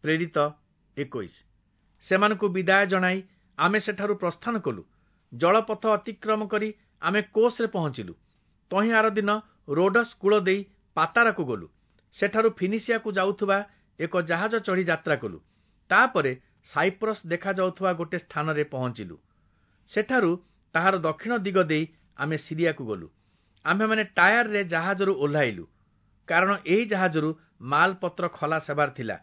ପ୍ରେରିତ 21। ସେମାନଙ୍କୁ ବିଦାୟ ଜଣାଇ ଆମେ ସେଠାରୁ ପ୍ରସ୍ଥାନ କଲୁ। ଜଳପଥ ଅତିକ୍ରମ କରି ଆମେ କୋଷରେ ପହଞ୍ଚିଲୁ। ତହିଁ ଆରଦିନ ରୋଡସ୍ କୂଳ ଦେଇ ପାତାରାକୁ ଗଲୁ। ସେଠାରୁ ଫିନିସିଆକୁ ଯାଉଥିବା ଏକ ଜାହାଜ ଚଢ଼ି ଯାତ୍ରା କଲୁ। ତାପରେ ସାଇପ୍ରସ୍ ଦେଖାଯାଉଥିବା ଗୋଟେ ସ୍ଥାନରେ ପହଞ୍ଚିଲୁ। ସେଠାରୁ ତାହାର ଦକ୍ଷିଣ ଦିଗ ଦେଇ ଆମେ ସିରିଆକୁ ଗଲୁ। ଆମ୍ଭେମାନେ ଟାୟାରରେ ଜାହାଜରୁ ଓହ୍ଲାଇଲୁ, କାରଣ ଏହି ଜାହାଜରୁ ମାଲପତ୍ର ଖଲାସ ହେବାର ଥିଲା।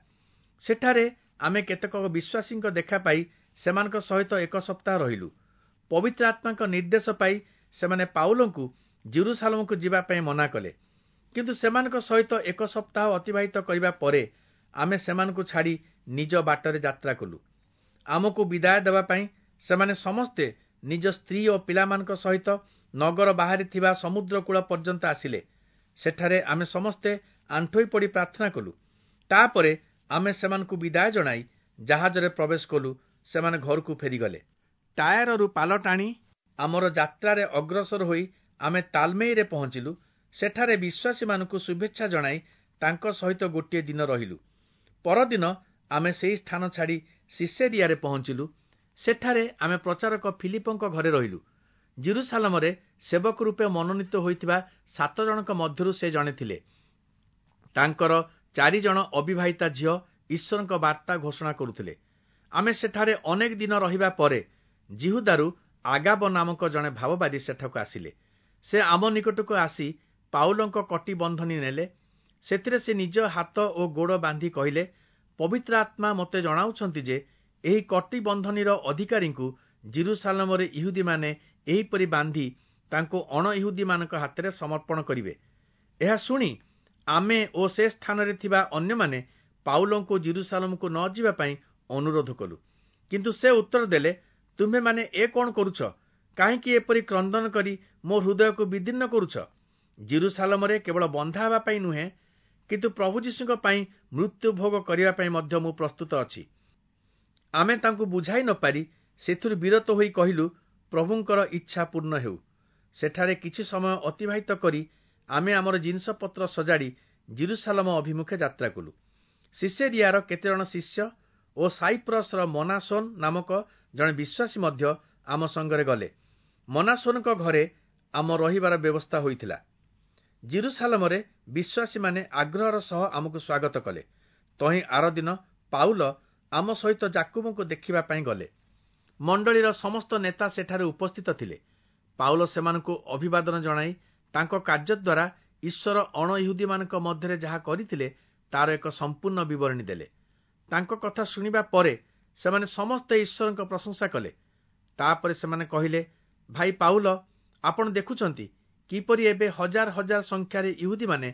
ସେଠାରେ ଆମେ କେତେକ ବିଶ୍ୱାସୀଙ୍କ ଦେଖା ପାଇ ସେମାନଙ୍କ ସହିତ ଏକ ସପ୍ତାହ ରହିଲୁ। ପବିତ୍ର ଆତ୍ମାଙ୍କ ନିର୍ଦ୍ଦେଶ ପାଇ ସେମାନେ ପାଉଲଙ୍କୁ ଜିରୁସାଲମକୁ ଯିବା ପାଇଁ ମନା କଲେ। କିନ୍ତୁ ସେମାନଙ୍କ ସହିତ ଏକ ସପ୍ତାହ ଅତିବାହିତ କରିବା ପରେ ଆମେ ସେମାନଙ୍କୁ ଛାଡ଼ି ନିଜ ବାଟରେ ଯାତ୍ରା କଲୁ। ଆମକୁ ବିଦାୟ ଦେବା ପାଇଁ ସେମାନେ ସମସ୍ତେ ନିଜ ସ୍ତ୍ରୀ ଓ ପିଲାମାନଙ୍କ ସହିତ ନଗର ବାହାରେ ଥିବା ସମୁଦ୍ର କୂଳ ପର୍ଯ୍ୟନ୍ତ ଆସିଲେ। ସେଠାରେ ଆମେ ସମସ୍ତେ ଆଣ୍ଠୋଇ ପଡ଼ି ପ୍ରାର୍ଥନା କଲୁ। ତାପରେ ଆମେ ସେମାନଙ୍କୁ ବିଦାୟ ଜଣାଇ ଜାହାଜରେ ପ୍ରବେଶ କଲୁ। ସେମାନେ ଘରକୁ ଫେରିଗଲେ। ଟାୟାରରୁ ପାଲ ଟାଣି ଆମର ଯାତ୍ରାରେ ଅଗ୍ରସର ହୋଇ ଆମେ ତାଲମେଇରେ ପହଞ୍ଚିଲୁ। ସେଠାରେ ବିଶ୍ୱାସୀମାନଙ୍କୁ ଶୁଭେଚ୍ଛା ଜଣାଇ ତାଙ୍କ ସହିତ ଗୋଟିଏ ଦିନ ରହିଲୁ। ପରଦିନ ଆମେ ସେହି ସ୍ଥାନ ଛାଡ଼ି ସିସେରିଆରେ ପହଞ୍ଚିଲୁ। ସେଠାରେ ଆମେ ପ୍ରଚାରକ ଫିଲିପଙ୍କ ଘରେ ରହିଲୁ। ଜିରୁସାଲମରେ ସେବକ ରୂପେ ମନୋନୀତ ହୋଇଥିବା 7 ଜଣଙ୍କ ମଧ୍ୟରୁ ସେ ଜଣେ ଥିଲେ। ତାଙ୍କର 4 ଜଣ ଅବିବାହିତା ଝିଅ ଈଶ୍ୱରଙ୍କ ବାର୍ତ୍ତା ଘୋଷଣା କରୁଥିଲେ। ଆମେ ସେଠାରେ ଅନେକ ଦିନ ରହିବା ପରେ ଜିହୁଦାରୁ ଆଗାବ ନାମକ ଜଣେ ଭାବବାଦୀ ସେଠାକୁ ଆସିଲେ। ସେ ଆମ ନିକଟକୁ ଆସି ପାଉଲଙ୍କ କଟି ବନ୍ଧନୀ ନେଲେ। ସେଥିରେ ସେ ନିଜ ହାତ ଓ ଗୋଡ଼ ବାନ୍ଧି କହିଲେ, ପବିତ୍ର ଆତ୍ମା ମୋତେ ଜଣାଉଛନ୍ତି ଯେ ଏହି କଟି ବନ୍ଧନୀର ଅଧିକାରୀଙ୍କୁ ଜିରୁସାଲମରେ ଇହୁଦୀମାନେ ଏହିପରି ବାନ୍ଧି ତାଙ୍କୁ ଅଣଇହୁଦୀମାନଙ୍କ ହାତରେ ସମର୍ପଣ କରିବେ। ଏହା ଶୁଣି ଆମେ ଓ ସେ ସ୍ଥାନରେ ଥିବା ଅନ୍ୟମାନେ ପାଉଲଙ୍କୁ ଜିରୁସାଲମକୁ ନ ଯିବା ପାଇଁ ଅନୁରୋଧ କଲୁ। କିନ୍ତୁ ସେ ଉତ୍ତର ଦେଲେ, ତୁମ୍ଭେମାନେ ଏ କଣ କରୁଛ? କାହିଁକି ଏପରି କ୍ରନ୍ଦନ କରି ମୋ ହୃଦୟକୁ ବିଦୀର୍ଣ୍ଣ କରୁଛ? ଜିରୁସାଲମରେ କେବଳ ବନ୍ଧା ହେବା ପାଇଁ ନୁହେଁ, କିନ୍ତୁ ପ୍ରଭୁ ଯୀଶୁଙ୍କ ପାଇଁ ମୃତ୍ୟୁ ଭୋଗ କରିବା ପାଇଁ ମଧ୍ୟ ମୁଁ ପ୍ରସ୍ତୁତ ଅଛି। ଆମେ ତାଙ୍କୁ ବୁଝାଇ ନପାରି ସେଥିରୁ ବିରତ ହୋଇ କହିଲୁ, ପ୍ରଭୁଙ୍କର ଇଚ୍ଛା ପୂର୍ଣ୍ଣ ହେଉ। ସେଠାରେ କିଛି ସମୟ ଅତିବାହିତ କରି ଆମେ ଆମର ଜିନିଷପତ୍ର ସଜାଡ଼ି ଜିରୁସାଲମ ଅଭିମୁଖେ ଯାତ୍ରା କଲୁ। ସିସେରିଆର କେତେଜଣ ଶିଷ୍ୟ ଓ ସାଇପ୍ରସର ମନାସୋନ ନାମକ ଜଣେ ବିଶ୍ୱାସୀ ମଧ୍ୟ ଆମ ସଙ୍ଗରେ ଗଲେ। ମନାସୋନଙ୍କ ଘରେ ଆମ ରହିବାର ବ୍ୟବସ୍ଥା ହୋଇଥିଲା। ଜିରୁସାଲମରେ ବିଶ୍ୱାସୀମାନେ ଆଗ୍ରହର ସହ ଆମକୁ ସ୍ୱାଗତ କଲେ। ତହିଁ ଆରଦିନ ପାଉଲ ଆମ ସହିତ ଯାକୁବଙ୍କୁ ଦେଖିବା ପାଇଁ ଗଲେ। ମଣ୍ଡଳୀର ସମସ୍ତ ନେତା ସେଠାରେ ଉପସ୍ଥିତ ଥିଲେ। ପାଉଲ ସେମାନଙ୍କୁ ଅଭିବାଦନ ଜଣାଇ ତାଙ୍କ କାର୍ଯ୍ୟ ଦ୍ୱାରା ଈଶ୍ୱର ଅଣଇହୁଦୀମାନଙ୍କ ମଧ୍ୟରେ ଯାହା କରିଥିଲେ ତାର ଏକ ସମ୍ପୂର୍ଣ୍ଣ ବିବରଣୀ ଦେଲେ। ତାଙ୍କ କଥା ଶୁଣିବା ପରେ ସେମାନେ ସମସ୍ତେ ଈଶ୍ୱରଙ୍କ ପ୍ରଶଂସା କଲେ। ତାପରେ ସେମାନେ କହିଲେ, ଭାଇ ପାଉଲ, ଆପଣ ଦେଖୁଛନ୍ତି କିପରି ଏବେ ହଜାର ହଜାର ସଂଖ୍ୟାରେ ଇହୁଦୀମାନେ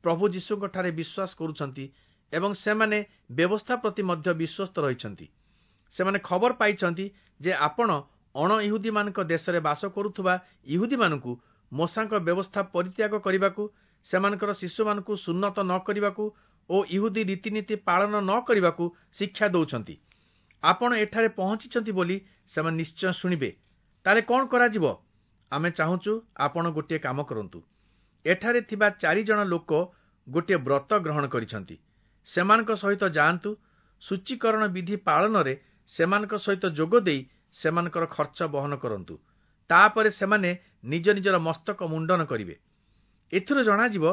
ପ୍ରଭୁ ଯୀଶୁଙ୍କଠାରେ ବିଶ୍ୱାସ କରୁଛନ୍ତି ଏବଂ ସେମାନେ ବ୍ୟବସ୍ଥା ପ୍ରତି ମଧ୍ୟ ବିଶ୍ୱସ୍ତ ରହିଛନ୍ତି। ସେମାନେ ଖବର ପାଇଛନ୍ତି ଯେ ଆପଣ ଅଣଇହୁଦୀମାନଙ୍କ ଦେଶରେ ବାସ କରୁଥିବା ଇହୁଦୀମାନଙ୍କୁ ମୋଶାଙ୍କ ବ୍ୟବସ୍ଥା ପରିତ୍ୟାଗ କରିବାକୁ, ସେମାନଙ୍କର ଶିଶୁମାନଙ୍କୁ ସୁନ୍ନତ ନ କରିବାକୁ ଓ ଇହୁଦୀ ରୀତିନୀତି ପାଳନ ନ କରିବାକୁ ଶିକ୍ଷା ଦେଉଛନ୍ତି। ଆପଣ ଏଠାରେ ପହଞ୍ଚିଛନ୍ତି ବୋଲି ସେମାନେ ନିଶ୍ଚୟ ଶୁଣିବେ। ତାହେଲେ କଣ କରାଯିବ? ଆମେ ଚାହୁଁଛୁ ଆପଣ ଗୋଟିଏ କାମ କରନ୍ତୁ। ଏଠାରେ ଥିବା 4 ଜଣ ଲୋକ ଗୋଟିଏ ବ୍ରତ ଗ୍ରହଣ କରିଛନ୍ତି। ସେମାନଙ୍କ ସହିତ ଯାଆନ୍ତୁ। ସୂଚୀକରଣ ବିଧି ପାଳନରେ ସେମାନଙ୍କ ସହିତ ଯୋଗ ଦେଇ ସେମାନଙ୍କର ଖର୍ଚ୍ଚ ବହନ କରନ୍ତୁ। ତାପରେ ସେମାନେ ନିଜ ନିଜର ମସ୍ତକ ମୁଣ୍ଡନ କରିବେ। ଏଥିରୁ ଜଣାଯିବ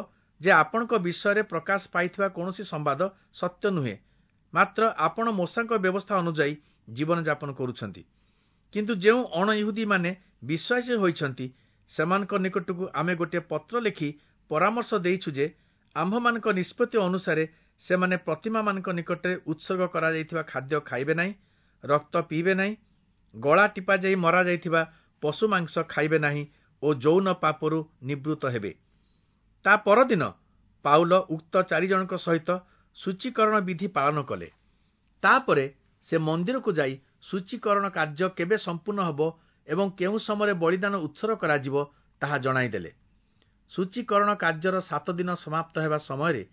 ଯେ ଆପଣଙ୍କ ବିଷୟରେ ପ୍ରକାଶ ପାଇଥିବା କୌଣସି ସମ୍ବାଦ ସତ୍ୟ ନୁହେଁ, ମାତ୍ର ଆପଣ ମୋଶାଙ୍କ ବ୍ୟବସ୍ଥା ଅନୁଯାୟୀ ଜୀବନଯାପନ କରୁଛନ୍ତି। କିନ୍ତୁ ଯେଉଁ ଅଣଇହୁଦୀମାନେ ବିଶ୍ୱାସୀ ହୋଇଛନ୍ତି, ସେମାନଙ୍କ ନିକଟକୁ ଆମେ ଗୋଟିଏ ପତ୍ର ଲେଖି ପରାମର୍ଶ ଦେଇଛୁ ଯେ ଆମ୍ଭମାନଙ୍କ ନିଷ୍ପତ୍ତି ଅନୁସାରେ ସେମାନେ ପ୍ରତିମାମାନଙ୍କ ନିକଟରେ ଉତ୍ସର୍ଗ କରାଯାଇଥିବା ଖାଦ୍ୟ ଖାଇବେ ନାହିଁ, ରକ୍ତ ପିଇବେ ନାହିଁ, ଗଳା ଟିପାଯାଇ ମରାଯାଇଥିବା ପଶୁ ମାଂସ ଖାଇବେ ନାହିଁ ଓ ଯୌନ ପାପରୁ ନିବୃତ୍ତ ହେବେ। ତା ପରଦିନ ପାଉଲ ଉକ୍ତ 4 ଜଣଙ୍କ ସହିତ ସୂଚୀକରଣ ବିଧି ପାଳନ କଲେ। ତାପରେ ସେ ମନ୍ଦିରକୁ ଯାଇ ସୂଚୀକରଣ କାର୍ଯ୍ୟ କେବେ ସମ୍ପୂର୍ଣ୍ଣ ହେବ ଏବଂ କେଉଁ ସମୟରେ ବଳିଦାନ ଉତ୍ସର୍ଗ କରାଯିବ ତାହା ଜଣାଇଦେଲେ। ସୂଚୀକରଣ କାର୍ଯ୍ୟର 7 ଦିନ ସମାପ୍ତ ହେବା ସମୟରେ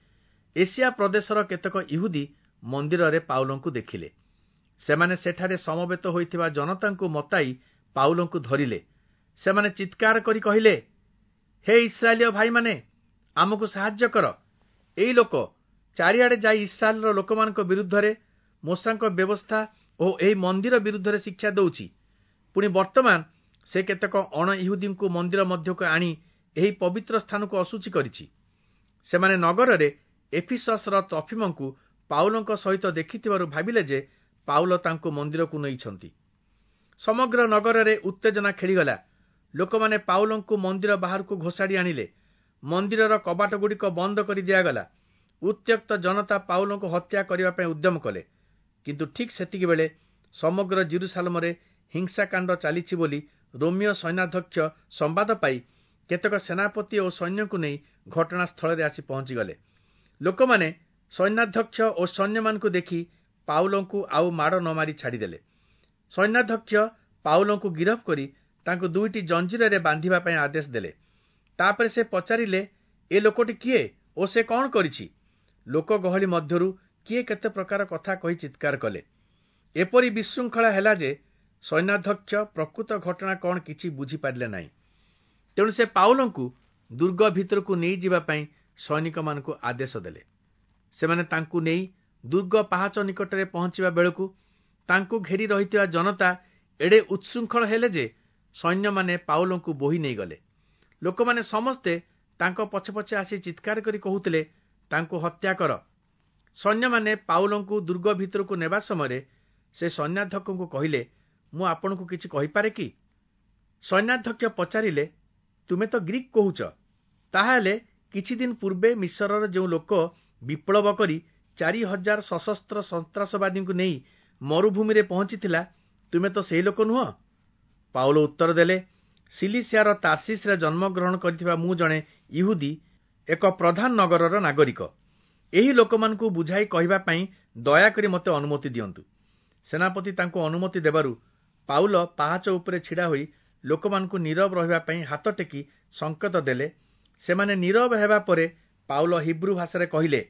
ଏସିଆ ପ୍ରଦେଶର କେତେକ ଇହୁଦୀ ମନ୍ଦିରରେ ପାଉଲଙ୍କୁ ଦେଖିଲେ। ସେମାନେ ସେଠାରେ ସମବେତ ହୋଇଥିବା ଜନତାଙ୍କୁ ମତାଇ ପାଉଲଙ୍କୁ ଧରିଲେ। ସେମାନେ ଚିତ୍କାର କରି କହିଲେ, ହେ ଇସ୍ରାଏଲୀୟ ଭାଇମାନେ, ଆମକୁ ସାହାଯ୍ୟ କର। ଏଇ ଲୋକ ଚାରିଆଡ଼େ ଯାଇ ଇସ୍ରାଏଲର ଲୋକମାନଙ୍କ ବିରୁଦ୍ଧରେ, ମୋଶାଙ୍କ ବ୍ୟବସ୍ଥା ଓ ଏହି ମନ୍ଦିର ବିରୁଦ୍ଧରେ ଶିକ୍ଷା ଦେଉଛି। ପୁଣି ବର୍ତ୍ତମାନ ସେ କେତେକ ଅଣ ଇହୁଦୀଙ୍କୁ ମନ୍ଦିର ମଧ୍ୟକୁ ଆଣି ଏହି ପବିତ୍ର ସ୍ଥାନକୁ ଅଶୁଚି କରିଛି। ସେମାନେ ନଗରରେ ଏଫିସସର ତ୍ରଫିମଙ୍କୁ ପାଉଲଙ୍କ ସହିତ ଦେଖିଥିବାରୁ ଭାବିଲେ ଯେ ପାଉଲ ତାଙ୍କୁ ମନ୍ଦିରକୁ ନେଇଛନ୍ତି। ସମଗ୍ର ନଗରରେ ଉତ୍ତେଜନା ଖେଳିଗଲା। ଲୋକମାନେ ପାଉଲଙ୍କୁ ମନ୍ଦିର ବାହାରକୁ ଘୋଷାଡ଼ି ଆଣିଲେ। ମନ୍ଦିରର କବାଟଗୁଡ଼ିକ ବନ୍ଦ କରି ଦିଆଗଲା। ଉତ୍ତ୍ୟକ୍ତ ଜନତା ପାଉଲଙ୍କୁ ହତ୍ୟା କରିବା ପାଇଁ ଉଦ୍ୟମ କଲେ। କିନ୍ତୁ ଠିକ୍ ସେତିକିବେଳେ ସମଗ୍ର ଯିରୂଶାଲମରେ ହିଂସାକାଣ୍ଡ ଚାଲିଛି ବୋଲି ରୋମୀୟ ସୈନ୍ୟାଧ୍ୟକ୍ଷ ସମ୍ବାଦ ପାଇ କେତେକ ସେନାପତି ଓ ସୈନ୍ୟଙ୍କୁ ନେଇ ଘଟଣାସ୍ଥଳରେ ଆସି ପହଞ୍ଚିଗଲେ। ଲୋକମାନେ ସୈନ୍ୟାଧ୍ୟକ୍ଷ ଓ ସୈନ୍ୟମାନଙ୍କୁ ଦେଖି ପାଉଲଙ୍କୁ ଆଉ ମାଡ଼ ନ ମାରି ଛାଡ଼ିଦେଲେ। ସୈନ୍ୟାଧ୍ୟକ୍ଷ ପାଉଲଙ୍କୁ ଗିରଫ କରି ତାଙ୍କୁ 2ଟି ଜଞ୍ଜିରରେ ବାନ୍ଧିବା ପାଇଁ ଆଦେଶ ଦେଲେ। ତାପରେ ସେ ପଚାରିଲେ, ଏ ଲୋକଟି କିଏ ଓ ସେ କଣ କରିଛି? ଲୋକ ଗହଳି ମଧ୍ୟରୁ କିଏ କେତେ ପ୍ରକାର କଥା କହି ଚିତ୍କାର କଲେ। ଏପରି ବିଶୃଙ୍ଖଳା ହେଲା ଯେ ସୈନ୍ୟାଧ୍ୟକ୍ଷ ପ୍ରକୃତ ଘଟଣା କଣ କିଛି ବୁଝିପାରିଲେ ନାହିଁ। ତେଣୁ ସେ ପାଉଲଙ୍କୁ ଦୁର୍ଗ ଭିତରକୁ ନେଇଯିବା ପାଇଁ ସୈନିକମାନଙ୍କୁ ଆଦେଶ ଦେଲେ। ସେମାନେ ତାଙ୍କୁ ନେଇ ଦୁର୍ଗ ପାହାଚ ନିକଟରେ ପହଞ୍ଚିବା ବେଳକୁ ତାଙ୍କୁ ଘେରି ରହିଥିବା ଜନତା ଏଡ଼େ ଉତ୍ଶୃଙ୍ଖଳ ହେଲେ ଯେ ସୈନ୍ୟମାନେ ପାଉଲଙ୍କୁ ବୋହି ନେଇଗଲେ। ଲୋକମାନେ ସମସ୍ତେ ତାଙ୍କ ପଛେ ପଛେ ଆସି ଚିତ୍କାର କରି କହୁଥିଲେ, ତାଙ୍କୁ ହତ୍ୟା କର। ସୈନ୍ୟମାନେ ପାଉଲଙ୍କୁ ଦୁର୍ଗ ଭିତରକୁ ନେବା ସମୟରେ ସେ ସୈନ୍ୟାଧ୍ୟକ୍ଷଙ୍କୁ କହିଲେ, ମୁଁ ଆପଣଙ୍କୁ କିଛି କହିପାରେ କି? ସୈନ୍ୟାଧ୍ୟକ୍ଷ ପଚାରିଲେ, ତୁମେ ତ ଗ୍ରୀକ୍ କହୁଛ, ତାହାହେଲେ କିଛି ଦିନ ପୂର୍ବେ ମିଶରର ଯେଉଁ ଲୋକ ବିପ୍ଳବ କରି 4000 ସଶସ୍ତ୍ର ସନ୍ତ୍ରାସବାଦୀଙ୍କୁ ନେଇ ମରୁଭୂମିରେ ପହଞ୍ଚିଥିଲା, ତୁମେ ତ ସେହି ଲୋକ ନୁହଁ? ପାଉଲ ଉତ୍ତର ଦେଲେ, ସିଲିସିଆର ତାର୍ସିସରେ ଜନ୍ମଗ୍ରହଣ କରିଥିବା ମୁଁ ଜଣେ ଇହୁଦୀ, ଏକ ପ୍ରଧାନ ନଗରର ନାଗରିକ। ଏହି ଲୋକମାନଙ୍କୁ ବୁଝାଇ କହିବା ପାଇଁ ଦୟାକରି ମୋତେ ଅନୁମତି ଦିଅନ୍ତୁ। ସେନାପତି ତାଙ୍କୁ ଅନୁମତି ଦେବାରୁ ପାଉଲ ପାହାଚ ଉପରେ ଛିଡ଼ା ହୋଇ ଲୋକମାନଙ୍କୁ ନୀରବ ରହିବା ପାଇଁ ହାତ ଟେକି ସଂକେତ ଦେଲେ। ସେମାନେ ନୀରବ ହେବା ପରେ ପାଉଲ ହିବ୍ରୁ ଭାଷାରେ କହିଲେ,